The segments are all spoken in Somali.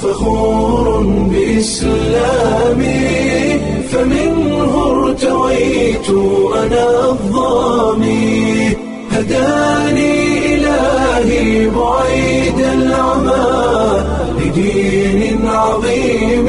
فخور بإسلامي، فمنه ارتويت أنا الظامي، هداني إلهي بعيد العمى لدين عظيم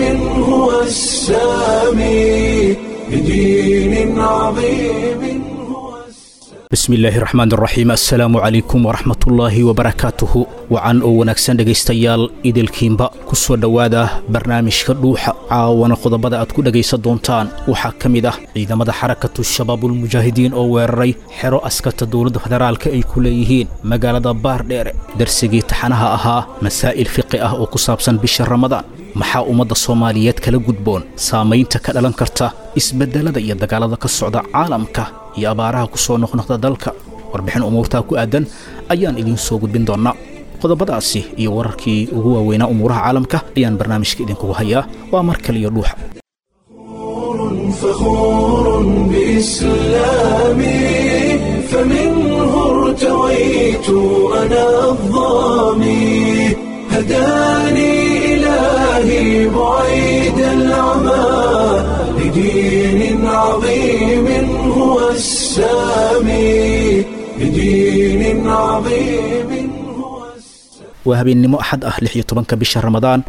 هو السامي، لدين عظيم هو السامي. Bismillaahi raxmaan raxiim, assalaamu calaykum waraxmatullaahi wabarakaatuhu. Wacan oo wanaagsan dhegaystayaal idilkiinba, ku soo dhowaada barnaamijka Dhuuxa. Caawana qodobada aad ku dhegaysan doontaan waxaa ka mid ah ciidamada Xarakatu Shabaabulmujaahidiin oo weeraray xero askarta dowladda federaalka ay ku leeyihiin magaalada Baardheere. Darsigii taxanaha ahaa masaa'il fiqi ah oo ku saabsan bisha Ramadaan, maxaa ummadda Soomaaliyeed kala gudboon saamaynta ka dhalan karta isbeddelada iyo dagaalada ka socda caalamka iyo abaaraha ku soo noqnoqda dalka? Warbixin umuurtaa ku aadan ayaan idiin soo gudbin doonnaa. Qodobadaasi iyo wararkii ugu waaweynaa umuuraha caalamka ayaan barnaamijka idinkugu hayaa. Waa mar kale iyo Dhuuxa. فخور بإسلامي، فمنه ارتويت أنا الظامي، هداني إلهي بعيد العمى لدين عظيم هو السامي، لدين عظيم هو السامي. Waa habeennimo Axad ah, 16-ka bisha Ramadaan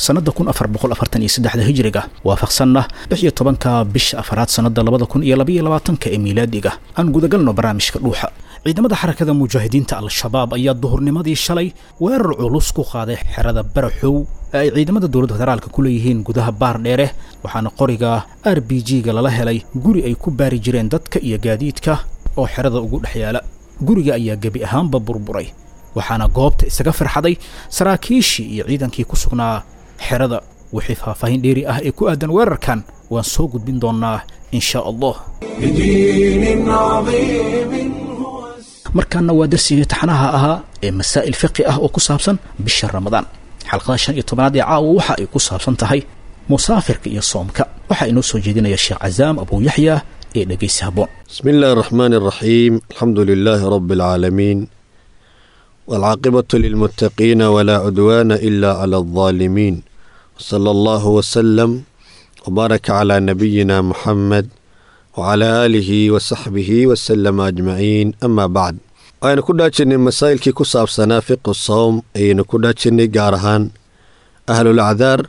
sannadda 1443-da hijriga, waafaqsanna 16-ka bisha afaraad sannadda 2022-ka ee miilaadiga. Aan gudagalno barnaamijka Dhuuxa. Ciidamada Xarakada Mujaahidiinta Al-Shabaab ayaa duhurnimadii shalay weerar culus ku qaaday xerada Baraxow ee ay ciidamada dowladda federaalka ku leeyihiin gudaha Baardheere, waxaana qoriga RPG-ga lala helay guri ay ku baari jireen dadka iyo gaadiidka oo xerada ugu dhex yaala. Guriga ayaa gebi ahaanba burburay, waxaana goobta isaga farxaday saraakiishii iyo ciidankii ku sugnaa xerada. Wixii faahfaahin dheeri ah ee ku aadan weerarkan waan soo gudbin doonnaa insha Allah. لدين عظيم هو السامي. Markaana waa darsigii taxanaha ahaa ee masaa'il fiqi ah oo ku saabsan bisha Ramadaan. Xalqada 15aad ee caawa waxa ay ku saabsan tahay musaafirka iyo soomka. Waxaa inoo soo jeedinaya Sheekh Casaam Abuu Yaxya ee dhegaysi habboon. بسم الله الرحمن الرحيم، الحمد لله رب العالمين، والعاقبة للمتقين، ولا عدوان إلا على الظالمين، وصلى الله وسلم وبارك على نبينا محمد وعلى آله وصحبه وسلم أجمعين، أما بعد. Aynu ku dhaajirnay masaa'ilkii ku saabsanaa fiqu sawm ayaynu ku dhaajirnay, gaar ahaan ahlul acdaar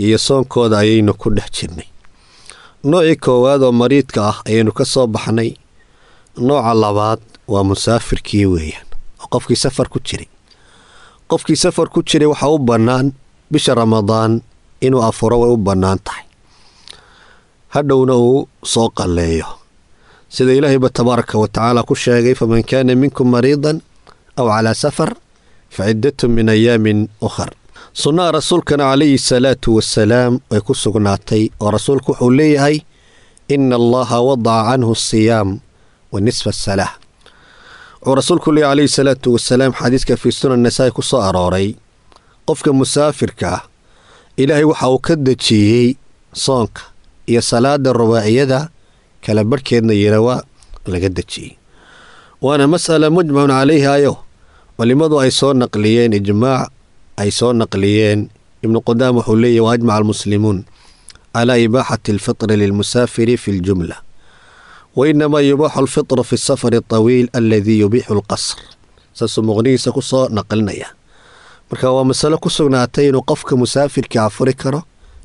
iyo soonkooda ayaynu ku dhex jirnay. Noocii koowaad oo mariidka ah ayaynu ka soo baxnay. Nooca labaad waa musaafirkii weeyaan, oo qofkii safar ku jiray. Qofkii safar ku jiray waxaa u bannaan bisha Ramadaan inuu afuro, way u bannaan tahay, hadhowna uu soo qalleeyo, sida Ilaahayba tabaaraka wa tacaala ku sheegay: "Faman kaana minkum mariidan aw calaa safar fa ciddatun min ayaamin ukhar." Sunnaha rasuulkana calayhi salaatu wasalaam way ku sugnaatay, oo rasuulku wuxuu leeyahay: "Ina Allaha wadaca canhu asiyaam wa nisfa asalaa." Wuxuu rasuulku leeyahy calayhi salaatu wasalaam xadiiska fii Sunan Nasaa'i ku soo arooray: qofka musaafirka ah Ilaahay waxa uu ka dejiyey soonka iyo salaada rubaaciyada kala barhkeedna yira waa laga dejiyey. Waana mas'ala mujmacun calayhayo culimmadu ay soo naqliyeen, ijmaac ay soo naqliyeen. Ibnu Qudaam wuxuu leeyahy: "Waajmaca almuslimuun calaa ibaaxati alfitri lilmusaafiri fi ljumla, wainamaa yubaaxu alfitru fi safari atawiil aladii yubiixu alqasr." Saasuu Muqnigiisa ku soo naqlinaya. Marka waa masalo ku sugnaatay inuu qofka musaafirka afuri karo,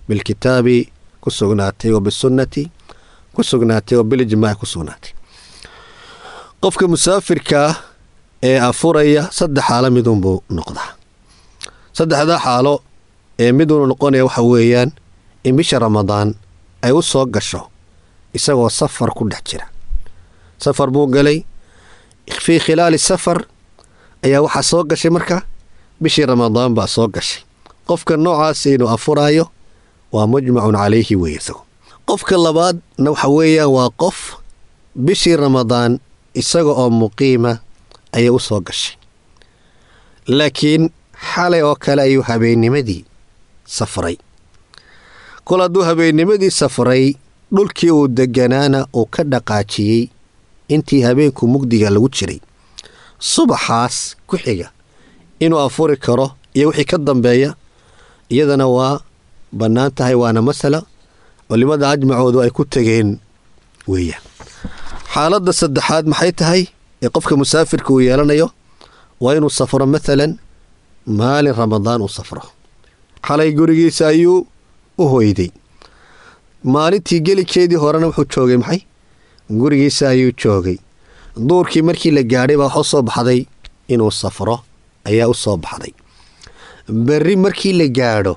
bilkitaabi ku sugnaatay wa bisunnati ku sugnaatay wa bilijmaaci ku sugnaatay. Qofka musaafirkaa ee afuraya saddex xaalo midunbuu noqdaa. Saddexdaa xaalo ee miduunu noqonaya waxa weeyaan in bisha Ramadaan ay u soo gasho isagoo safar ku dhex jira. Safar buu galay, fii khilaali safar ayaa waxaa soo gashay marka bishii Ramadaan baa soo gashay. Qofka noocaasi inuu afuraayo waa mujmacun calayhi weeye isago. Qofka labaadna waxa weeyaan waa qof bishii Ramadaan isaga oo muqiima ayay u soo gashay, laakiin xalay oo kale ayuu habeennimadii safray. Kol hadduu habeennimadii safray, dhulkii uu deganaana uu ka dhaqaajiyey intii habeenku mugdiga lagu jiray, subaxaas ku xiga inuu afuri karo iyo wixii ka dambeeya Iyadana waa bannaan tahay, waana masala culimada ajmacoodu ay ku tegeen weeyaan. Xaaladda saddexaad maxay tahay ee qofka musaafirka uu yeelanayo? Waa inuu safro, maalan maalin Ramadaan uu safro. Xalay gurigiisa ayuu u hoyday, maalintii gelikeedii horena wuxuu joogay maxay? Gurigiisa ayuu joogay. Duurkii markii la gaadhay baa waxa u soo baxday inuu safro ayaa u soo baxday. Berri markii la gaadho,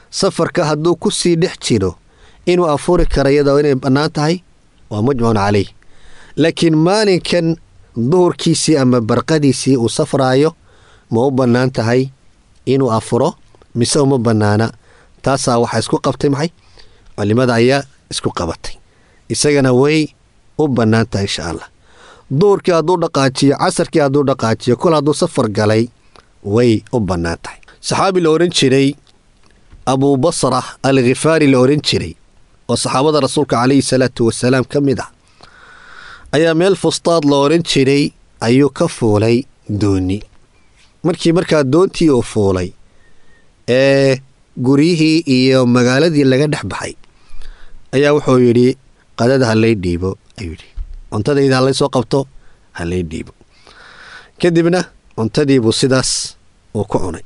safarka hadduu ku sii dhex jiro, inuu afuri karo iyadoo inay bannaan tahay waa mujmacun caleyh. Laakiin maalinkan duhurkiisii ama barqadiisii uu safraayo, ma u bannaan tahay inuu afuro mise uma bannaana? Taasaa waxaa isku qabtay maxay? Culimada ayaa isku qabatay. Isagana way u bannaan tahay, insha Allah. Duhurkii hadduu dhaqaajiyo, casarkii hadduu dhaqaajiyo, kol hadduu safar galay, way u bannaan tahay. Saxaabi la odhan jiray Abuu Basra Alkhifaari la odhan jiray, oo saxaabada Rasuulka calayhi salaatu wasalaam ka mid ah, ayaa meel Fustaad la odhan jiray ayuu ka fuulay dooni. Markii markaa doontii uu fuulay ee guryihii iyo magaaladii laga dhex baxay, ayaa wuxuu yidhi: "Qadada ha lay dhiibo," ayuu yidhi, "cuntadayda ha lay soo qabto, ha lay dhiibo." Kadibna cuntadiibuu sidaas uu ku cunay.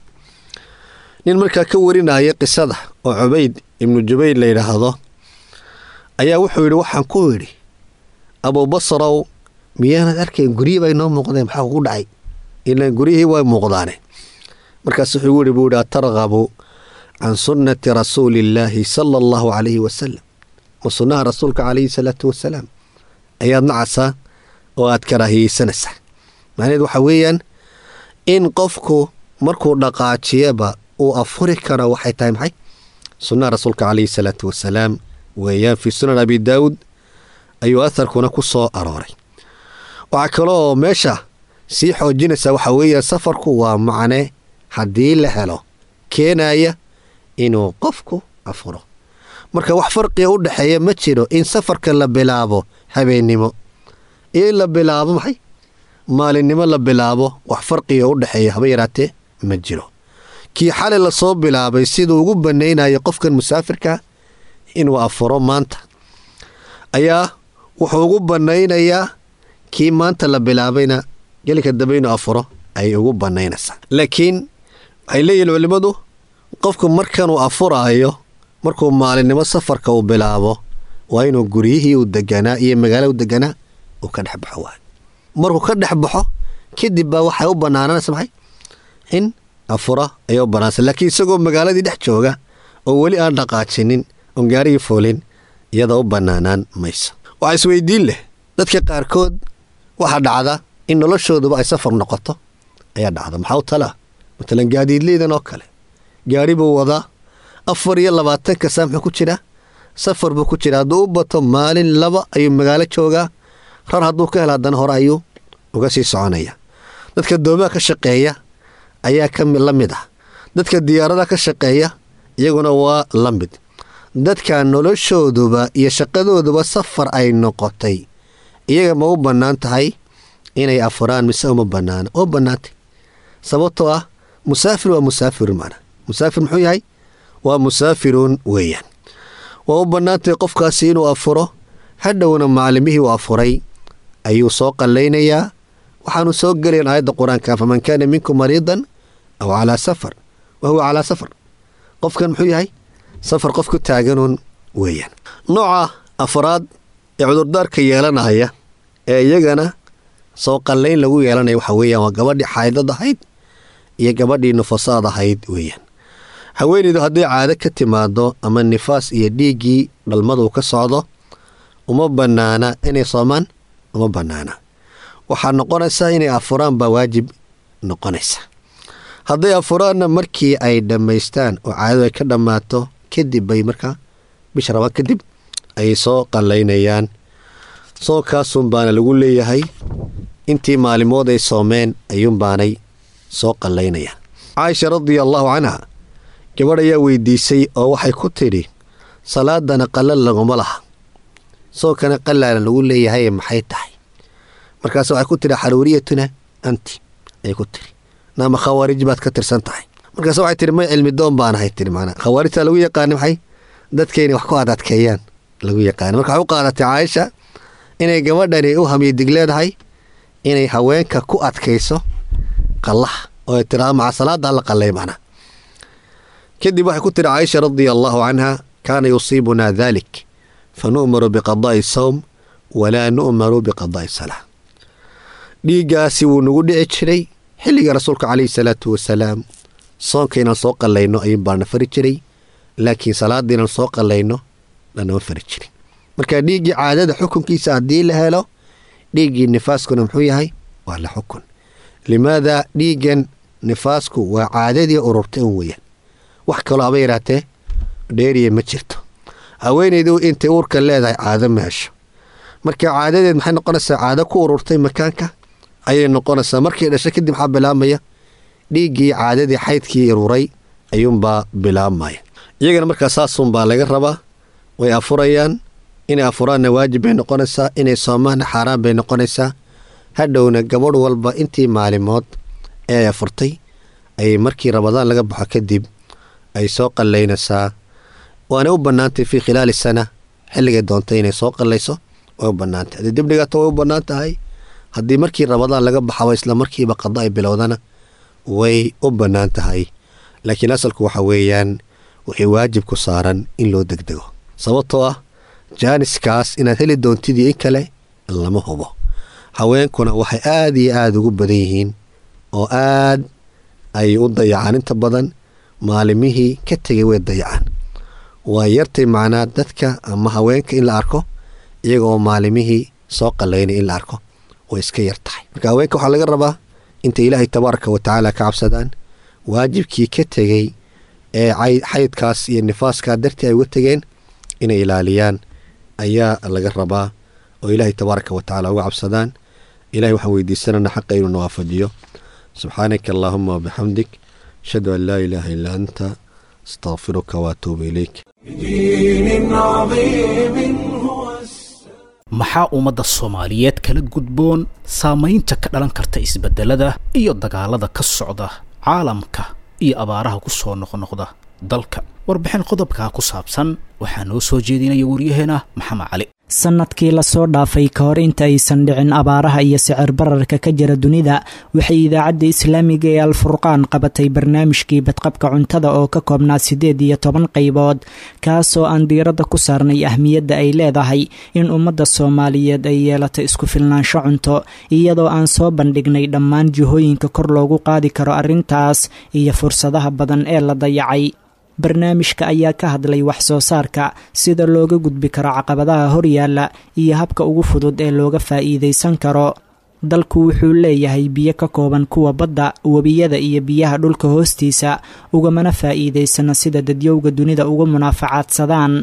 Nin markaa ka warinaya qisada oo Cubayd Ibnu Jubayr la yidhaahdo ayaa wuxuu yidhi: "Waxaan ku yidhi, Abuubasrow, miyaanad arkayn guryihii bay noo muuqdeen? Maxaa kugu dhacay? Ilaan guryihii way muuqdaane." Markaas wuxuu yidhi buu yidhi: "Atargabu can sunnati rasuuliillaahi sala Allahu calayhi wasalam? Ma sunnaha Rasuulka calayhi salaatu wasalaam ayaad nacaysaa oo aad karaahiyeysanaysaa?" Macnaheed waxaa weeyaan in qofku markuu dhaqaajiyaba uu afuri karo. Waxay tahay maxay? Sunnaha Rasuulka calayhi salaatu wasalaam weeyaan. Fii Sunan Abi Daawud ayuu aharkuna ku soo arooray. Waxaa kaloo meesha sii xoojinaysaa waxaa weeyaan, safarku waa macne haddii la helo keenaya inuu qofku afuro. Marka wax farqiga u dhexeeya ma jiro in safarka la bilaabo habeennimo iyo in la bilaabo maxay? Maalinnimo la bilaabo. Wax farqiga u dhexeeya haba yaraatee ma jiro. Kii xalay lasoo bilaabay siduu ugu banaynayo qofkan musaafirka inuu afuro maanta, ayaa wuxuu ugu banaynayaa kii maanta la bilaabayna gelinka dambe inuu afuro ay ugu banaynaysaa. Laakiin waxay leeyihin culimmadu, qofku markanuu afuraayo, markuu maalinnimo safarka uu bilaabo, waa inuu guryihii uu deganaa iyo magaala u deganaa uu ka dhex baxo. Waay markuu ka dhex baxo kadib baa waxay u banaananaysa maxay? In afura ayay u banaanaysa. Laakiin isagoo magaaladii dhex jooga oo weli aan dhaqaajinin oon gaarigii fuulin, iyada u banaanaan mayso. Waxaa isweydiin leh, dadka qaarkood waxaa dhacda in noloshooduba ay safar noqoto ayaa dhacda. Maxaa u talaa? Matalan gaadiidleydan oo kale, gaari buu wadaa, 24-ka saa muxuu ku jiraa? Safar buu ku jiraa. Hadduu u bato maalin laba ayuu magaalo joogaa, rar hadduu ka helo haddana hore ayuu uga sii soconaya. Dadka doomaha ka shaqeeya ayaa ka la mid ah, dadka diyaaradaha ka shaqeeya iyaguna waa la mid. Dadka noloshooduba iyo shaqadooduba safar ay noqotay, iyaga ma u bannaan tahay inay afuraan mise uma bannaana? Oo bannaantay, sababtoo ah musaafir waa musaafirun. Macna musaafir muxuu yahay? Waa musaafirun weeyaan. Waa u bannaantahay qofkaasi inuu afuro, hadhowna maalimihii uu afuray ayuu soo qallaynayaa. Waxaanu soo gelayan aayadda Qur-aanka: "Faman kaana minkum mariidan aw calaa safar wa huwa calaa safar." Qofkan muxuu yahay? Safar qof ku taaganuun weeyaan. Nooca afraad ee cudurdaarka yeelanaya ee iyagana soo qallayn lagu yeelanaya waxa weeyaan waa gabadhii xaydad ahayd iyo gabadhii nufasaad ahayd weeyaan. Haweeneydu hadday caado ka timaado ama nifaas iyo dhiiggii dhalmadu ka socdo, uma bannaana inay soomaan, uma bannaana. Waxaa noqonaysaa inay afuraan baa waajib noqonaysa. Hadday afuraanna, markii ay dhammaystaan oo caadadu ay ka dhammaato kadib bay markaa bisha rabaan kadib ayay soo qallaynayaan. Soonkaasun baana lagu leeyahay, intii maalimood ay soomeen ayuunbaanay soo qallaynayaan. Caaisha radia allaahu canha gabadh ayaa weydiisay oo waxay ku tidhi: "Salaadana qalla laguma laha, soonkana qallaana lagu leeyahay, maxay tahay?" Markaas waxay ku tidhi: "Xaruuriyatuna anti," ayay ku tidhi, "naama khawaarij baad ka tirsan tahay." Markaas waxay tiri, may, cilmi doon baan ahay, tiri. Macnaa khawaarijta lagu yaqaani maxay dadka inay wax ku adadkeeyaan lagu yaqaani. Marka waxay u qaadatay Caaisha inay gabadhani u hamiyo dig leedahay inay haweenka ku adkayso qallaha, oo ay tiraado maca salaada la qallay macnaa. Kadib waxay ku tiri Caaisha radia allahu canha: "Kaana yusiibunaa dalik, fa nu'maru biqadaa'i sawm walaa nu'maru biqadaa'i salaa." Dhiiggaasi wuu nagu dhici jiray xilliga Rasuulka calayhi salaatu wasalaam. Soonka inaan soo qallayno ayuun baana fari jiray, laakiin salaadda inaan soo qallayno lanama fari jirin. Marka dhiiggii caadada xukunkiisa haddii la helo, dhiiggii nifaaskuna muxuu yahay? Waa la xukun. Limaada? Dhiiggan nifaasku waa caadadii ururtay un weeyaan, wax kaloo haba yaraatee dheeriya ma jirto. Haweenaydu intay uurka leedahay caado ma hesho. Marka caadadeed maxay noqonaysaa? Caado ku ururtay makaanka ayay noqonaysaa. Markay dhasho kadib maxaa bilaabmaya? Dhiiggii caadadii, xaydkii ururay ayuunbaa bilaabmaya iyagana. Markaa saasunbaa laga rabaa, way afurayaan. Inay afuraanna waajib bay noqonaysaa, inay soomaanna xaaraan bay noqonaysaa. Hadhowna gabadh walba intii maalimood ee ay afurtay ayay markii Ramadaan laga baxo kadib ay soo qallaynaysaa. Waanay u bannaantay fii khilaali sana xilligay doontay inay soo qallayso, way u bannaantay. Haddii dib dhigato way u bannaan tahay, haddii markii Ramadaan laga baxaba isla markiiba qada ay bilowdana way u bannaan tahay. Laakiin asalku waxa weeyaan wixii waajib ku saaran in loo degdego, sababtoo ah jaaniskaas inaad heli doontidii in kale lama hubo. Haweenkuna waxay aada iyo aada ugu badan yihiin oo aad ay u dayacaan inta badan maalimihii ka tegay, way dayacaan. Waa yartay macnaa dadka ama haweenka in la arko iyaga oo maalimihii soo qalaynay, in la arko way iska yar tahay. Marka haweenka waxaa laga rabaa intay Ilaahay tabaaraka wa tacaala ka cabsadaan, waajibkii ka tegey ee xaydkaas iyo nifaaskaa dartii ay uga tegeen inay ilaaliyaan ayaa laga rabaa, oo Ilaahay tabaaraka wa tacala uga cabsadaan. Ilahay waxaan weydiisanana xaqa inuu nawaafajiyo. Subxaanaka allahuma wabixamdik, ashhadu an laa ilaaha illaa anta, astaqfiruka waatuubu ilayk. بدين عظيم هو السلام. Maxaa ummadda Soomaaliyeed kala gudboon saamaynta ka dhalan karta isbeddelada iyo dagaalada ka socda caalamka iyo abaaraha ku soo noqnoqda dalka? Warbixin qodobkaa ku saabsan waxaa noo soo jeedinaya waryaheena Maxamed Cali. Sanadkii lasoo dhaafay, ka hor inta aysan dhicin abaaraha iyo sicir bararka ka jira dunida, waxay Idaacadda Islaamiga ee Alfurqaan qabatay barnaamijkii badqabka cuntada oo ka koobnaa 18 qaybood, kaasoo aan diiradda ku saarnay ahmiyadda ay leedahay in ummadda Soomaaliyeed ay yeelato isku filnaansho cunto, iyadoo aan soo bandhignay dhammaan jihooyinka kor loogu qaadi karo arrintaas iyo fursadaha badan ee la dayacay. Barnaamijka ayaa ka hadlay wax soo saarka, sida looga gudbi karo caqabadaha horyaalla iyo habka ugu fudud ee looga faa'iidaysan karo. Dalku wuxuu leeyahay biyo ka kooban kuwa badda, webiyada iyo biyaha dhulka hoostiisa, ugamana faa'iidaysano sida dadyowga dunida uga munaafacaadsadaan.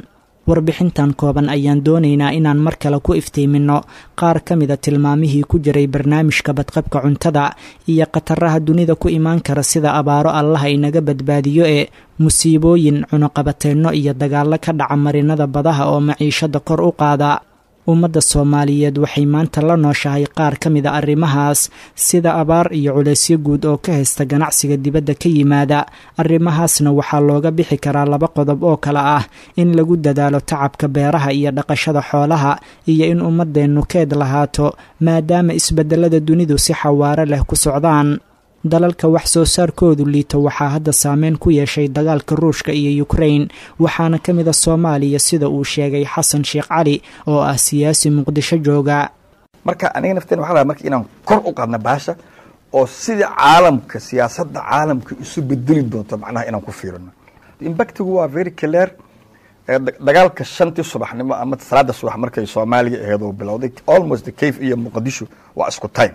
Warbixintan kooban ayaan doonaynaa inaan mar kale ku iftiiminno qaar ka mida tilmaamihii ku jiray barnaamijka badqabka cuntada iyo khataraha dunida ku imaan kara, sida abaaro, Allaha inaga badbaadiyo, ee musiibooyin, cunuqabateenno iyo dagaallo ka dhaca marinada badaha oo maciishada kor u qaada. Ummadda Soomaaliyeed waxay maanta la nooshahay qaar ka mida arrimahaas, sida abaar iyo culaysyo guud oo ka haysta ganacsiga dibadda ka yimaada. Arrimahaasna waxaa looga bixi karaa laba qodob oo kale ah: in lagu dadaalo tacabka beeraha iyo dhaqashada xoolaha, iyo in ummadeennu keed lahaato, maadaama isbedelada dunidu si xawaare leh ku socdaan. Dalalka wax soo saarkoodu liito waxaa hadda saameyn ku yeeshay dagaalka Ruushka iyo Ukrain, waxaana ka mid a Soomaaliya, sida uu sheegay Xasan Sheekh Cali oo ah siyaasi Muqdisho jooga. Marka aniga nafteen waxaa rabaa marka inaan kor u qaadna baasha oo sida caalamka, siyaasadda caalamka isu bedeli doonto, macnaha inaan ku fiirino. Impactigu waa very clear. Dagaalka 5-tii subaxnimo ama salaada subax markay Soomaaliya ahayd oo bilowday, almost the Kiev iyo Muqdisho waa isku time.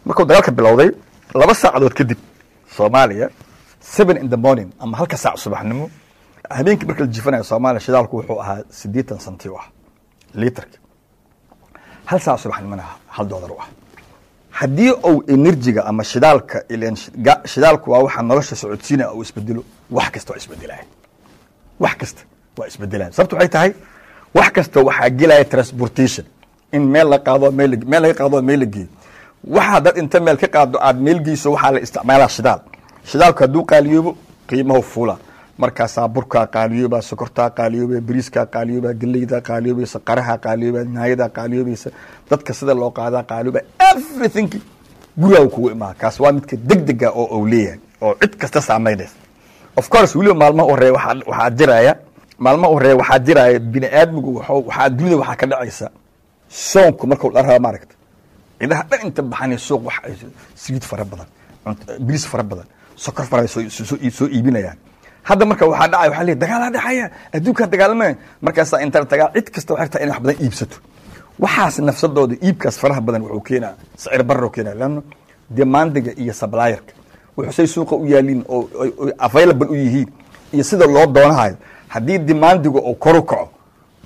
Markuu dagaalka bilowday 2 saacadood kadib Soomaaliya, 7 in the morning ama 1-ka saac subaxnimo, habeenkii marka la jifanayo Soomaaliya, shidaalku wuxuu ahaa 80 senti u ah litarka. 1 saac subaxnimona $1 u ah. Haddii uu energyga ama shidaalka, ileen shidaalku waa waxa nolosha socodsiinaya, uu isbedelo, wax kasta waa isbedelaya, wax kasta waa isbedelaya. Sababta waxay tahay, wax kasta waxaa gelaya transportation, in meel la qaado, meel laga qaado, meel la geeyo. Waxa dad inta meel ka qaado aad meel geyso, waxaa la isticmaalaa shidaal. Shidaalku hadduu qaaliyoobo, qiimahu fuula. Markaasaa burkaa qaaliyooba, sokortaa qaaliyooba, bariiskaa qaaliyooba, geleydaa qaaliyoobaysa, qaraha qaaliyooba, naayadaa qaaliyoobaysa, dadka sida loo qaadaa qaaliyooba, everything gurigaa kugu imaa. Kaas waa midka degdega oo uu leeyahay oo cid kasta saamaynaysa. Of course, weliba maalmaha horeeya waxaa jiraya, maalmaha horeeya waxaa jiraya bini aadmigu waxaa dunida waxaa ka dhacaysa soonku markuu la raba, maaragta, cidaha dhan inta baxanay suuq wax ay saliid fara badan, bariis fara badan, sokor fara soo iibinayaan. Hadda marka waxaa dhacaya, waxaa leeyahay dagaalaa dhacaya, adduunkaa dagaalamaya. Markaasaa inta tagaa cid kasta waxay rabtaa inay wax badan iibsato. Waxaas nafsadooda iibkaas faraha badan wuxuu keenaa sicir barro keenaa, leanno demandiga iyo supplierka wuxuu say suuqa u yaaliin oo available u yihiin iyo sida loo doonahayo. Haddii demandiga oo kor u kaco,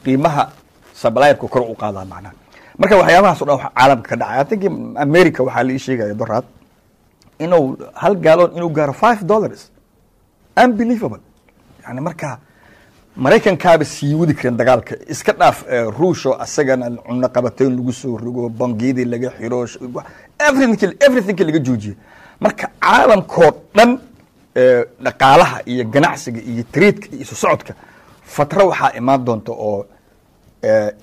qiimaha supplierka kor u qaadaa macnaha. Marka waxyaabahaas o dhan wax caalamka ka dhacay. I think America waxaa la ii sheegaya doraad inuu hal gallon inuu gaaro $5. Unbelievable. Yani marka Maraykankaaba sii wadi kareen dagaalka, iska dhaaf Ruusho asagana cunno qabateyn lagu soo rogo, bangiyadii laga xiro, everything laga joojiyo. Marka caalamkoo dhan dhaqaalaha iyo ganacsiga iyo tradeka iyo isu socodka fatro waxaa imaan doonta oo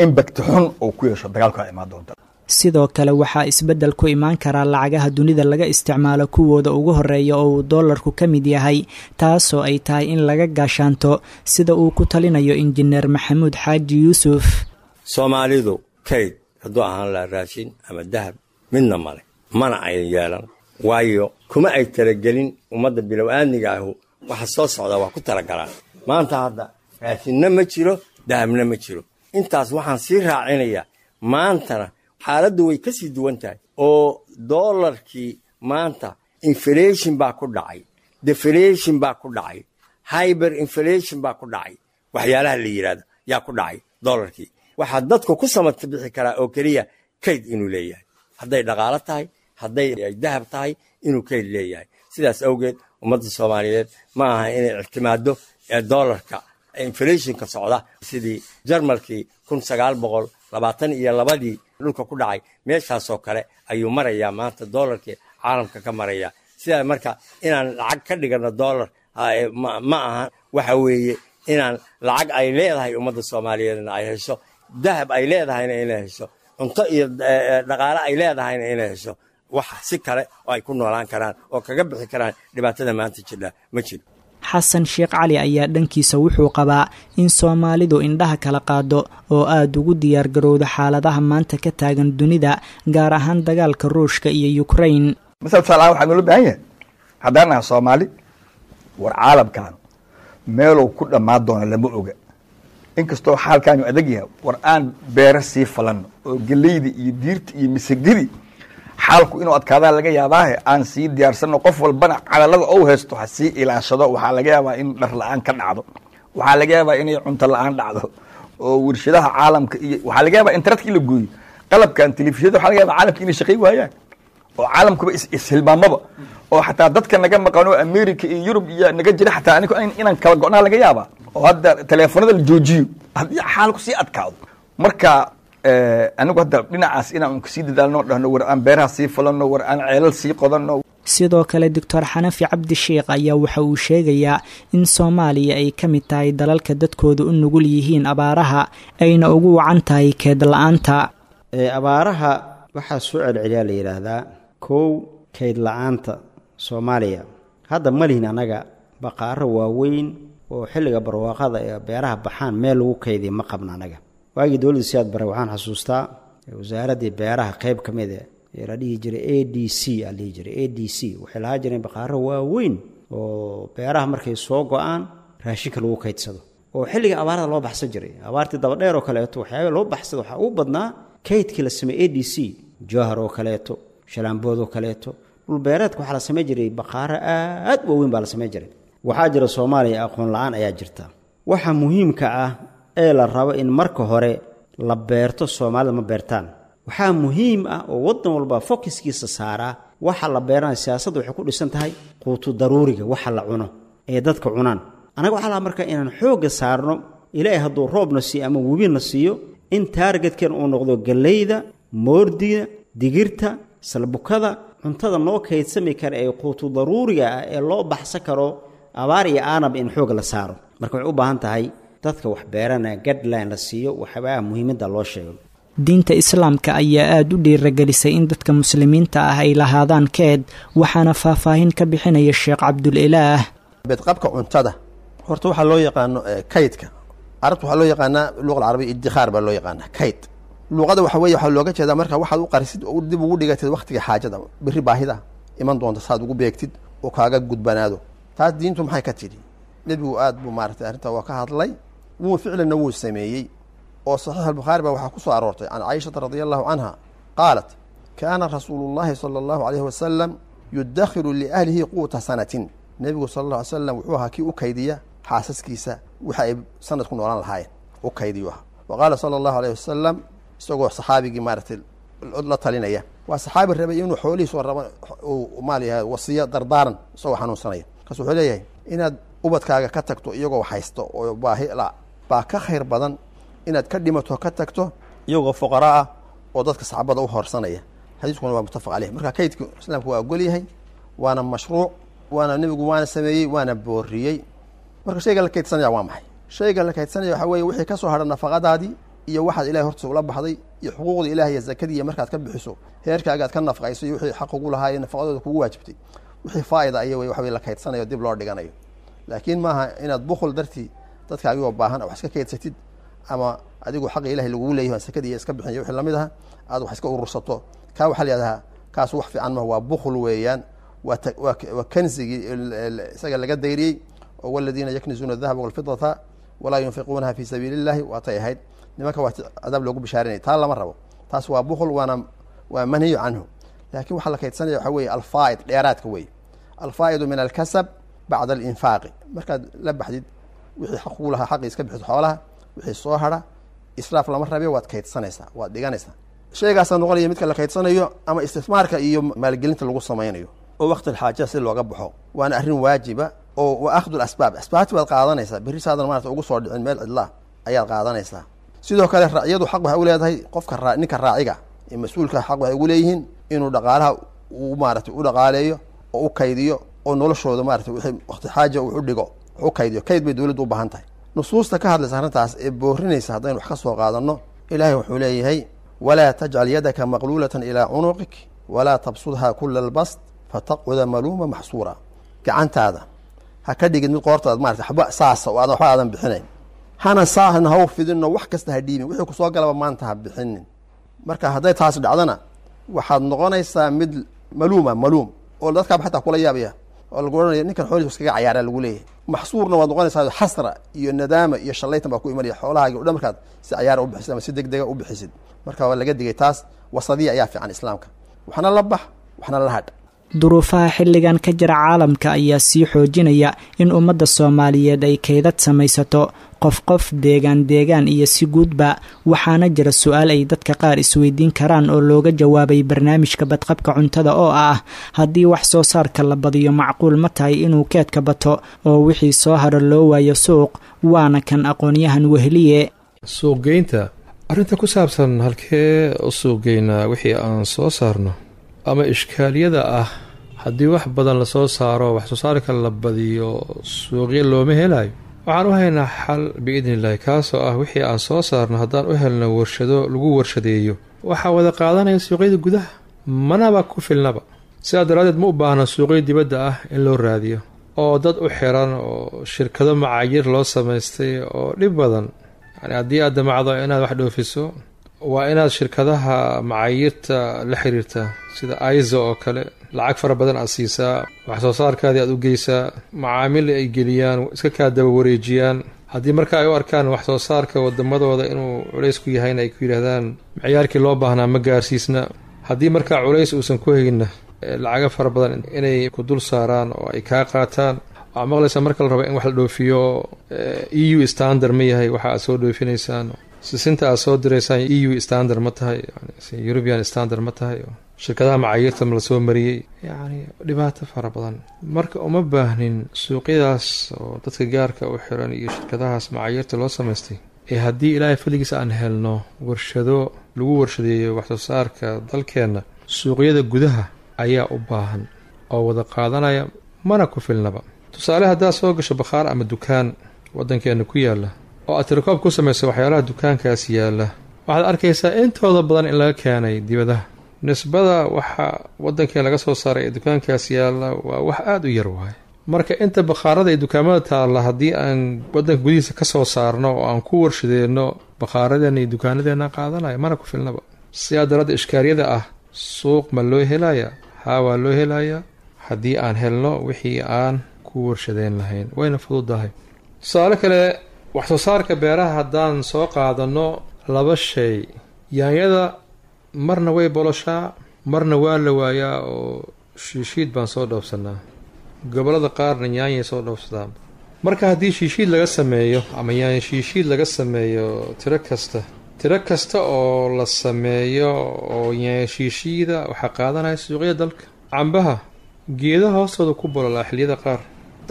impact xun oo ku yeesho dagaalka imaan doonta. Sidoo kale waxaa isbeddel ku imaan karaa lacagaha dunida laga isticmaalo kuwooda ugu horeeya oo uu doolarku ka mid yahay, taasoo ay tahay in laga gaashaanto, sida uu ku talinayo Injineer Maxamuud Xaaji Yuusuf. Soomaalidu kayd hadduu ahaan lahaa raashin ama dahab midna male, mana ayan yeelan, waayo kuma ay talagelin. Ummadda bilow-aadmiga ahu waxa soo socda waa ku talagalaan. Maanta hadda raashinna ma jiro, dahabna ma jiro. Intaas waxaan sii raacinayaa, maantana xaaladdu way ka sii duwan tahay oo doolarkii maanta inflation baa ku dhacay, deflation baa ku dhacay, hyper inflation baa ku dhacay, waxyaalaha la yidhahdo yaa ku dhacay doolarkii. Waxaa dadku ku samata bixi karaa oo keliya kayd inuu leeyahay, hadday dhaqaalo tahay, hadday dahab tahay, inuu kayd leeyahay. Sidaas awgeed ummadda Soomaaliyeed ma aha inay ictimaado doolarka inflationka socda, sidii Jarmalkii 1922-dii dhulka ku dhacay. Meeshaasoo kale ayuu marayaa maanta doolarkii caalamka ka maraya. Sidaa marka inaan lacag ka dhigano doolar ma aha. Waxa weeye inaan lacag ay leedahay ummadda Soomaaliyeedna ay hesho, dahab ay leedahayna inay hesho, cunto iyo dhaqaale ay leedahayna inay hesho. Wax si kale oo ay ku noolaan karaan oo kaga bixi karaan dhibaatada maanta jidha ma jiro. Xasan Sheekh Cali ayaa dhankiisa wuxuu qabaa in Soomaalidu indhaha kala qaado oo aada ugu diyaargarowda xaaladaha maanta ka taagan dunida, gaar ahaan dagaalka Ruushka iyo Ukrain. Masala tusaale ahaan, waxaa noola baahan yahay haddaan naha Soomaali, war caalamkan meeluu ku dhammaan doona lama oga, inkastoo xaalkaanu adag yahay, war aan beero sii falanno oo geleyda iyo diirta iyo misagadii xaalku inuu adkaadaa laga yaabaahe aan sii diyaarsano. Qof walbana calalada ou haysto ha sii ilaashado. Waxaa laga yaabaa in dhar la-aan ka dhacdo, waxaa laga yaabaa inay cunto la-aan dhacdo oo warshadaha caalamka iyo waxaa laga yaabaa internetka in la gooyo, qalabkan telefishinada, waxaa laga yaabaa caalamka inay shaqay waayaan oo caalamkuba ishilmaamaba oo xataa dadka naga maqano America iyo Yurub iyo naga jira xataa anigu inaan kala go'naa laga yaabaa oo hadda teleefonada la joojiyo haddii xaalku sii adkaado. Marka anigu hadda dhinacaas inaan kasii dadaalno, dhahno war aan beeraha sii falano, war aan ceelal sii qodanno. Sidoo kale Doctor Xanafi Cabdi Sheikh ayaa waxa uu sheegayaa in Soomaaliya ay ka mid tahay dalalka dadkooda u nugul yihiin abaaraha, ayna ugu wacan tahay keed la-aanta. Abaaraha waxaa soo celceliyaa la yidhaahdaa kow kayd la-aanta. Soomaaliya hadda ma lihin annaga baqaaro waaweyn oo xilliga barwaaqada ee beeraha baxaan meel lagu kaydiya ma qabna annaga. Waagii dowladda Siyaad Bare waxaan xasuustaa wasaaraddii beeraha qayb ka mid ee la dhihi jiray ADC aa la dhihi jiray ADC, waxay lahaa jireen baqaaro waaweyn oo beeraha markay soo go-aan raashinka lagu kaydsado oo xilliga abaarada loo baxsan jiray. Abaartii dabadheer oo kaleeto waxyaaba loo baxsado waxaa ugu badnaa kaydkii la sameeyey ADC, Jowhar oo kaleeto, Shalaambood oo kaleeto. Dhulbeereedka waxaa la samayn jiray baqaaro aad waaweyn baa la samayn jiray. Waxaa jira Soomaaliya aqoon la-aan ayaa jirta. Waxa muhiimka ah ee la rabo in marka hore la beerto, Soomaalida ma beertaan. Waxaa muhiim ah oo waddan walba fokiskiisa saaraa waxa la beeranaya. Siyaasadda waxay ku dhisan tahay quutu daruuriga, waxa la cuno ee dadka cunaan. Annaga waxaa lahaa marka inaan xoogga saarno, Ilaahay hadduu roobna siiyo ama webina siiyo, in targetkan uu noqdo galleyda, moordiga, digirta, salbukada. Cuntada noo kaydsami kara ee quutu daruuriga ah ee loo baxsan karo abaar iyo aanab in xoog la saaro. Marka waxay u baahan tahay dadka wax beerana guideline la siiyo, waxyaabaha muhiimadda loo sheego. Diinta islaamka ayaa aada u dhiiragelisay in dadka muslimiinta ah ay lahaadaan keed, waxaana faahfaahin ka bixinaya Sheekh Cabdulilaah. Bedqabka cuntada horta waxaa loo yaqaano kaydka, carabta waxaa loo yaqaanaa luqa alcarabiya iddikhaar baa loo yaqaanaa kayd. Luqada waxa weye waxaa looga jeedaa marka waxaad u qarisid oo dib ugu dhigatid waqtiga xaajada, berri baahida iman doonta saad ugu beegtid oo kaaga gudbanaado. Taas diintu maxay ka tidhi? Nebigu aad buu maaratay arrintaa waa ka hadlay, wuu ficlanna wuu sameeyey. Oo saxiix albukhaari baa waxaa ku soo aroortay can Caishata radia allahu canha qaalat: kaana rasuulu llahi sala allahu alayhi wasalam yudakhiru liahlihi quuta sanatin. Nebigu sala alla alay slam wuxuu ahaa kii u kaydiya xaasaskiisa waxa ay sanad ku noolaan lahaayeen u kaydiyu ahaa. Wa qaala sala allahu alayh wasalam, isagoo saxaabigii maaratay la talinaya, waa saxaabi rabay inuu xoolihiisoo raba uu maal yahay wasiyo dardaaran isagoo xanuunsanaya, markaas wuxuu leeyahay inaad ubadkaaga ka tagto iyagoo haysto oo baahi la baa ka khayr badan inaad ka dhimato ka tagto iyagoo fuqara ah oo dadka saxaabada u horsanaya. Xadiiskuna waa muttafaq caleyh. Marka kaydku islaamku waa ogol yahay, waana mashruuc, waana nebigu waana sameeyey, waana booriyey. Marka shayga la kaydsanaya waa maxay? Shayga la kaydsanaya waxaa weeye wixii ka soo hadha nafaqadaadii iyo waxaad ilahay hortiisa ula baxday iyo xuquuqda ilahay iyo zakadii, iyo markaad ka bixiso heerkaaga aad ka nafaqayso iyo wixii xaq ugu lahaa iyo nafaqadooda kugu waajibtay, wixii faa'ida aya wey waxa wey la kaydsanayo dib loo dhiganayo. Laakiin maaha inaad bukhul dartii dadkaagigoo baahan wax iska kaydsatid, ama adigu xaqi ilahay lagugu leeyahy aan sakadii iska bixin iyo wixii lamid aha aad wax iska urursato. Kaa waxaa la yihahdaa kaas wax fiican maha, waa bukhul weeyaan, waa kanzigii isaga laga dayriyey oo waladiina yaknizuuna adahaba walfidata walaa yunfiquunaha fi sabiili illahi waatay ahayd nimanka waa cadaab loogu bishaarinay. Taa lama rabo, taas waa bukhul, waana waa manhiyu canhu. Laakiin waxaa la kaydsanaya waxaa weeye alfaa'id, dheeraadka weeye, alfaa'idu min alkasab bacda alinfaaqi. Markaad la baxdid wixii xaq kugu lahaa, xaqii iska bixiso xoolaha, wixii soo hadha israaf lama rabe, waad kaydsanaysaa, waad dhiganaysaa. Shaygaasaa noqonaya midka la kaydsanayo ama istismaarka iyo maalgelinta lagu samaynayo oo waqti alxaaja si looga baxo, waana arrin waajiba oo wa akhdu lasbaab, asbaabti baad qaadanaysaa berri saadan maarata ugu soo dhicin meel cidlaa ayaad qaadanaysaa. Sidoo kale racyadu xaq waxay u leedahay qofka ninka raaciga ee mas-uulka xaq waxay ugu leeyihiin inuu dhaqaalaha u maaratay u dhaqaaleeyo oo u kaydiyo oo noloshooda maarata wixii waqti xaaja uu u dhigo wax u kaydiyo. Kayd bay dowladdu u baahan tahay. Nusuusta ka hadlaysa arrintaas ee boorinaysa haddaynu wax ka soo qaadanno, ilaahay wuxuu leeyahay: walaa tajcal yadaka maqluulatan ilaa cunuqik walaa tabsudha kula albast fataqcuda maluuma maxsuura. Gacantaada ha ka dhigid mid qoortaad maarata waxba saasa oo aadan waxba aadan bixinayn, hana saahna ha u fidinno, wax kasta ha dhiibin, wixii kusoo galaba maanta ha bixinin. Marka hadday taas dhacdana waxaad noqonaysaa mid maluuma, maluum oo dadkaaba xataa kula yaabaya oo lagu ohanaya ninkan xoolihiis iskaga cayaaraa lagu leeyahay. Maxsuurna waad noqonaysaa, xasra iyo nadaama iyo shallaytan baa ku imanaya xoolahaagi o dhan markaad si cayaara u bixisid ama si deg dega u bixisid. Marka waa laga digay taas, wasadiya ayaa fiican islaamka, waxna la bax waxna la hadh. Duruufaha xilligan ka jira caalamka ayaa sii xoojinaya in ummadda Soomaaliyeed ay kaydad samaysato, qof qof, deegaan deegaan iyo si guudba. Waxaana jira su-aal ay dadka qaar isweydiin karaan oo looga jawaabay barnaamijka badqabka cuntada oo ah: haddii wax soo saarka la badiyo, macquul ma tahay inuu keedka bato oo wixii soo haro loo waayo suuq? Waana kan aqoon-yahan Wehliye. Suuqgeynta, arrinta ku saabsan halkee u suuqgeynaa wixii aan soo saarno, ama ishkaaliyada ah haddii wax badan lasoo saaro, wax soo saarka la badiyo, suuqyo looma helayo, waxaan u haynaa xal biidni illaahi, kaasoo ah wixii aan soo saarno haddaan u helno warshado lagu warshadeeyo, waxaa wada qaadanaya suuqyada gudaha, manaba ku filnaba. Sidaa daraaddeed ma u baahna suuqyo dibadda ah in loo raadiyo oo dad u xiran oo shirkado macaayir loo samaystay oo dhib badan. Yani haddii aad damacdo inaad wax dhoofiso, waa inaad shirkadaha macaayirta la xiriirtaa sida ISO oo kale, lacag fara badan aad siisaa, wax soo saarkaadii aad u geysaa, macaamil ay geliyaan, iska kaa daba wareejiyaan. Haddii marka ay u arkaan wax soo saarka wadamadooda inuu culays ku yahayna, ay ku yidhaahdaan miciyaarkii loo baahnaa ma gaarsiisna. Haddii markaa culays uusan ku hayna, lacago fara badan inay ku dul saaraan oo ay kaa qaataan. Waxaa maqlaysaa marka la rabo in wax la dhoofiyo, EU standard ma yahay waxa aad soo dhoofinaysaan? Sisinta aad soo diraysaan EU standard ma tahay? European standard ma tahay? Shirkadaha macaayirta ma la soo mariyey? Yacni dhibaato fara badan. Marka uma baahnin suuqyadaas oo dadka gaarka u xiran iyo shirkadahaas macaayirta loo samaystay, ee haddii ilaahay fadligiisa aan helno warshado lagu warshadeeyo waxsoo saarka dalkeenna, suuqyada gudaha ayaa u baahan oo wada qaadanaya, mana ku filnaba. Tusaale, haddaad soo gasho bakhaar ama dukaan waddankeena ku yaalla oo aad tirokoob ku samayso waxyaalaha dukaankaas yaalla, waxaad arkaysaa intooda badan in laga keenay dibadaha. Nisbada waxa waddankeen laga soo saaray ee dukaankaas yaalla waa wax aada u yar waaye. Marka inta bakhaarada iyo dukaamada taalla haddii aan waddanka gudihiisa ka soo saarno oo aan ku warshadeenno, bakhaaradeena iyo dukaanadeenna qaadanaya, mana ku filnaba. Sidaa daraadda ishkaaliyada ah suuq ma loo helayaa? Haa, waa loo helayaa haddii aan helno wixii aan ku warshadeen lahayn, wayna fududahay. Tusaale kale, wax soo saarka beeraha haddaan soo qaadano laba shay, yaanyada marna way boloshaa, marna waa la waayaa oo shiishiid baan soo dhoofsanaa. Gobollada qaarna yaanyay soo dhoofsadaan. Marka haddii shiishiid laga sameeyo ama yaanya shiishiid laga sameeyo, tiro kasta oo la sameeyo oo yaanya shiishiida waxaa qaadanaya suuqyada dalka. Cambaha geedaha hoostooda ku bololaa xilliyada qaar,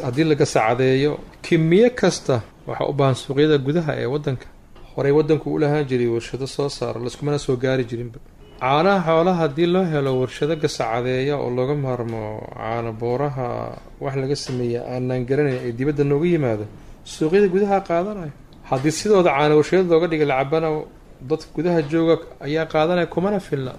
haddii laga sacadeeyo kimiyo kasta waxaa u baahan suuqyada gudaha ee waddanka. Horey waddanku u lahaan jiray warshado soo saara, laiskumana soo gaari jirinba. Caanaha xoolaha haddii loo helo warshado gasacadeeya oo looga maarmo caano booraha wax laga sameeya aanaan garanayn ay dibadda nooga yimaado, suuqyada gudaha qaadanaya. Haddii sidooda caano warshado looga dhigay lacabana, dadka gudaha jooga ayaa qaadanaya, kumana filna.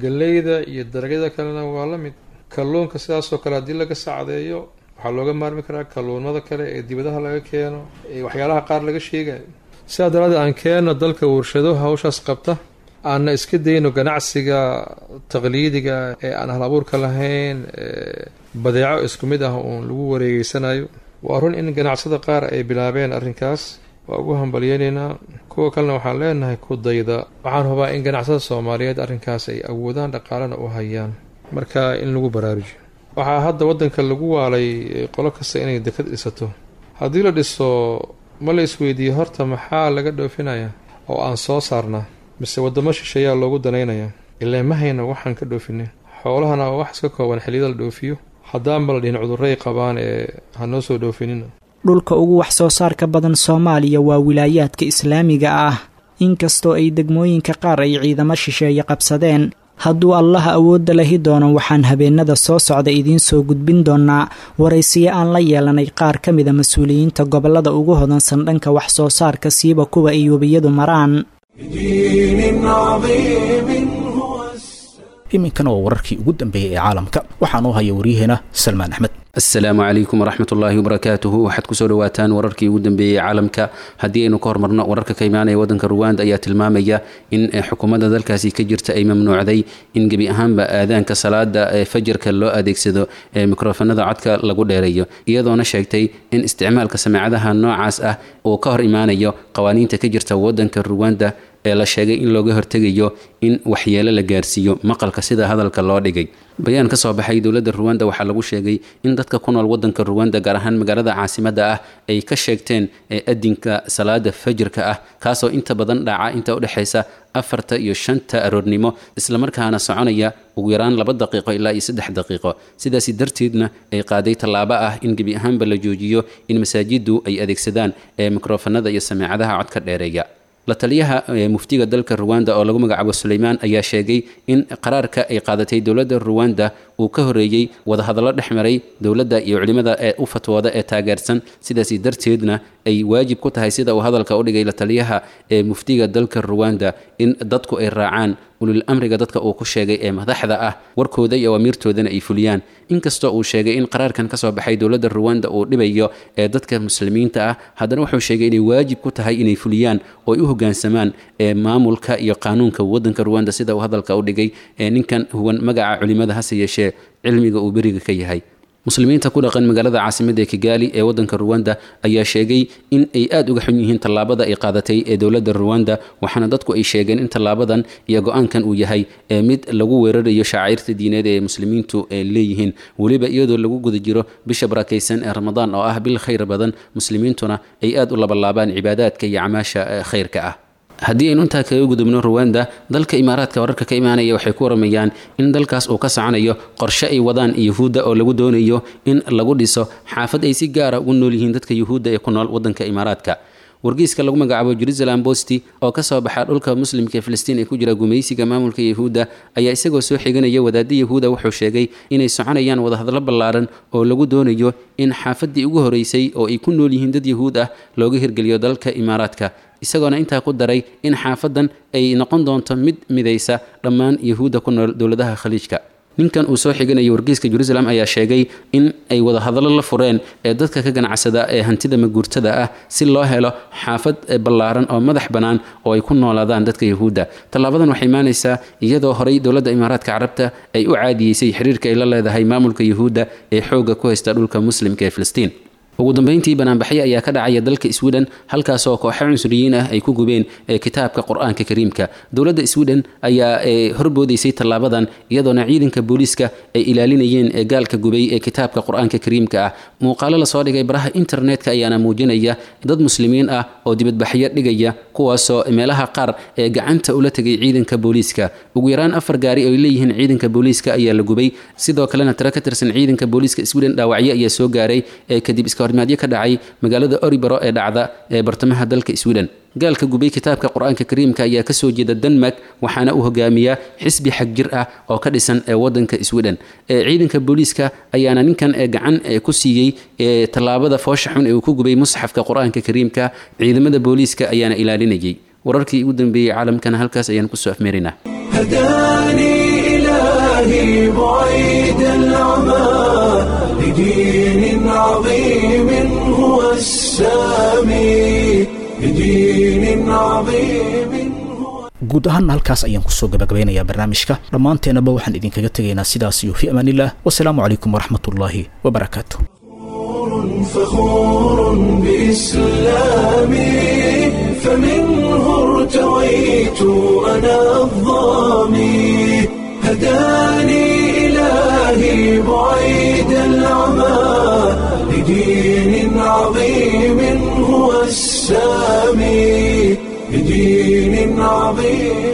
Galleyda iyo dalagyada kalena waa la mid. Kalluunka sidaasoo kale haddii laga sacdeeyo waxaa looga maarmi karaa kalluunada kale ee dibadaha laga keeno ee waxyaalaha qaar laga sheegayo. Sidaa daraaddeed aan keenno dalka warshado hawshaas qabta, aanna iska dayno ganacsiga taqliidiga ee aan hal abuurka lahayn, badeeco isku mid ah uun lagu wareegeysanayo. Waa run in ganacsada qaar ay bilaabeen arrinkaas, waa ugu hambalyeynaynaa. Kuwa kalena waxaan leenahay ku dayda. Waxaan hubaa in ganacsada Soomaaliyeed arrinkaas ay awoodaan, dhaqaalena u hayaan, marka in lagu baraarujiyo. Waxaa hadda waddanka lagu waalay qolo kasta inay dekad dhisato. Haddii la dhiso, ma la isweydiiyo horta maxaa laga dhoofinayaa oo aan soo saarnaa, mise waddamo shisheeyaa loogu danaynayaa? Ilaa ma hayno waxaan ka dhoofinay. Xoolahana waa wax iska kooban xilliyada la dhoofiyo, haddaanba la dhihin cudurray qabaan ee ha noo soo dhoofinina. Dhulka ugu wax soo saarka badan Soomaaliya waa wilaayaadka islaamiga ah, inkastoo ay degmooyinka qaar ay ciidamo shisheeye qabsadeen. Hadduu Allaha awoodda lahi doono, waxaan habeenada soo socda idiin soo gudbin doonaa waraysiyo aan la yeelanay qaar ka mida mas-uuliyiinta gobollada ugu hodansan dhanka wax soo saarka, siiba kuwa ay webiyadu maraan. بدين عظيم هو السلام. Iminkana waa wararkii ugu dambeeyey ee caalamka. Waxaa noo haya waryaheena Salmaan Axmed. Asalaamu calaykum waraxmat ullaahi wabarakaatuhu. Waxaad kusoo dhawaataan wararkii ugu dambeeyey caalamka. Haddii aynu ka hormarno, wararka ka imaanaya wadanka Ruwanda ayaa tilmaamaya in xukuumadda dalkaasi ka jirta ay mamnuucday in gebi ahaanba aadaanka salaada ee fajarka loo adeegsado ee mikrofanada codka lagu dheereeyo, iyadoona sheegtay in isticmaalka sameecadaha noocaas ah uu ka hor imaanayo qawaaniinta ka jirta wadanka Ruwanda ee la sheegay in looga hortegayo in waxyeelo la gaarsiiyo maqalka, sida hadalka loo dhigay. Bayaan ka soo baxay dowladda Ruwanda waxaa lagu sheegay in dadka ku nool wadanka Ruwanda, gaar ahaan magaalada caasimadda ah, ay ka sheegteen adinka salaada fajirka ah, kaasoo inta badan dhaca inta udhexaysa 4ta iyo 5ta aroornimo, islamarkaana soconaya ugu yaraan 2 daqiiqo ilaa iyo 3 daqiiqo. Sidaasi darteedna ay qaaday tallaabo ah in gebi ahaanba la joojiyo in masaajiddu ay adeegsadaan ee mikrofanada iyo sameecadaha codka dheereeya. La taliyaha muftiga dalka Ruwanda oo lagu magacaabo Suleymaan ayaa sheegay in qaraarka ay qaadatay dowladda Ruwanda uu ka horeeyey wadahadallo dhex maray dowladda iyo culimada ee u fatwooda ee taageersan, sidaasi darteedna ay waajib ku tahay, sida uu hadalka u dhigay la taliyaha ee muftiga dalka Ruwanda, in dadku ay raacaan ulul amriga dadka uu ku sheegay ee madaxda ah, warkooda iyo amiirtoodana ay fuliyaan. Inkastoo uu sheegay in qaraarkan ka soo baxay dowladda Ruwanda uu dhibayo ee dadka muslimiinta ah, haddana wuxuu sheegay inay waajib ku tahay inay fuliyaan oo ay u hoggaansamaan ee maamulka iyo qaanuunka waddanka Ruwanda, sida uu hadalka u dhigay ee ninkan huwan magaca culimada, hase yeeshee cilmiga uu beriga ka yahay. Muslimiinta ku dhaqan magaalada caasimadda ee Kigali ee wadanka Ruwanda ayaa sheegay in ay aada uga xun yihiin tallaabada ay qaadatay ee dowladda Ruwanda, waxaana dadku ay sheegeen in tallaabadan iyo go-aankan uu yahay ee mid lagu weerarayo shacairta diineed ee muslimiintu ay leeyihiin, weliba iyadoo lagu guda jiro bisha barakaysan ee Ramadaan oo ah bil khayr badan, muslimiintuna ay aada u labalaabaan cibaadaadka iyo camaasha khayrka ah. Haddii aynu intaa kaga gudubno Ruwanda, dalka Imaaraadka wararka ka imaanaya waxay ku waramayaan in dalkaas uu ka soconayo qorshe ay wadaan Yuhuudda oo lagu doonayo in lagu dhiso xaafad ay si gaara ugu nool yihiin dadka Yuhuudda ee ku nool wadanka Imaaraadka. Wargeyska lagu magacaabo Jerusalem Bosti oo kasoo baxa dhulka muslimka ee Filistiin ee ku jira gumaysiga maamulka Yahuudda ayaa isagoo soo xiganaya wadaadda Yahuuda wuxuu sheegay inay soconayaan wadahadlo ballaaran oo lagu doonayo in xaafaddii ugu horeysay oo ay ku nool yihiin dad Yahuud ah looga hirgeliyo dalka Imaaraadka, isagoona intaa ku daray in xaafadan ay noqon doonto mid midaysa dhammaan Yahuudda ku nool dowladaha Khaliijka. Ninkan uu soo xiganayay wargeyska Jerusalem ayaa sheegay in ay wadahadallo la fureen ee dadka ka ganacsada ee hantida maguurtada ah si loo helo xaafad ballaaran oo madax bannaan oo ay ku noolaadaan dadka Yahuudda. Tallaabadan waxay imaanaysaa iyadoo horey dowladda Imaaraadka Carabta ay u caadiyeysay xiriirka ay la leedahay maamulka Yahuudda ee xoogga ku haysta dhulka muslimka ee Filistiin. Ugu dambeyntii, banaanbaxyo ayaa ka dhacaya dalka Sweden, halkaasoo kooxo cunsuriyiin ah ay ku gubeen kitaabka Qur-aanka Kariimka. Dowladda Sweden ayaa horboodaysay tallaabadan, iyadoona ciidanka booliiska ay ilaalinayeen gaalka gubay ee kitaabka Qur-aanka Kariimka ah. Muuqaalo lasoo dhigay baraha internetka ayaana muujinaya dad muslimiin ah oo dibadbaxyo dhigaya, kuwaasoo meelaha qaar ee gacanta ula tegay ciidanka booliiska. Ugu yaraan 4 gaari oo ay leeyihiin ciidanka booliiska ayaa la gubay. Sidoo kalena tiro ka tirsan ciidanka booliiska Sweden dhaawacyo ayaa soo gaaray kadib iska hormaadyo ka dhacay magaalada Oribaro ee dhacda ee bartamaha dalka Sweden. Gaalka gubay kitaabka Qur-aanka Kariimka ayaa kasoo jeeda Denmark, waxaana uu hogaamiyaa xisbi xagjir ah oo ka dhisan ee wadanka Sweden. Ciidanka booliiska ayaana ninkan gacan ku siiyey tallaabada foosha xun ee uu ku gubay musxafka Qur-aanka Kariimka. Ciidamada booliiska ayaana ilaalinayay. Wararkii ugu dambeeyey caalamkana halkaas ayaan kusoo afmeeraynaa. هداني إلهي بعيد العمى لدين عظيم هو السامي، لدين عظيم هو Guud ahaanna halkaas ayaan kusoo gabagabeynayaa barnaamijka. Dhammaanteenaba waxaan idinkaga tegaynaa sidaas iyo fi amaanillah, wasalaamu calaykum waraxmatullaahi wabarakaatu. فخور بإسلامي، فمنه ارتويت أنا الظامي، هداني إلهي بعيد العمى لدين عظيم هو السامي، لدين عظيم.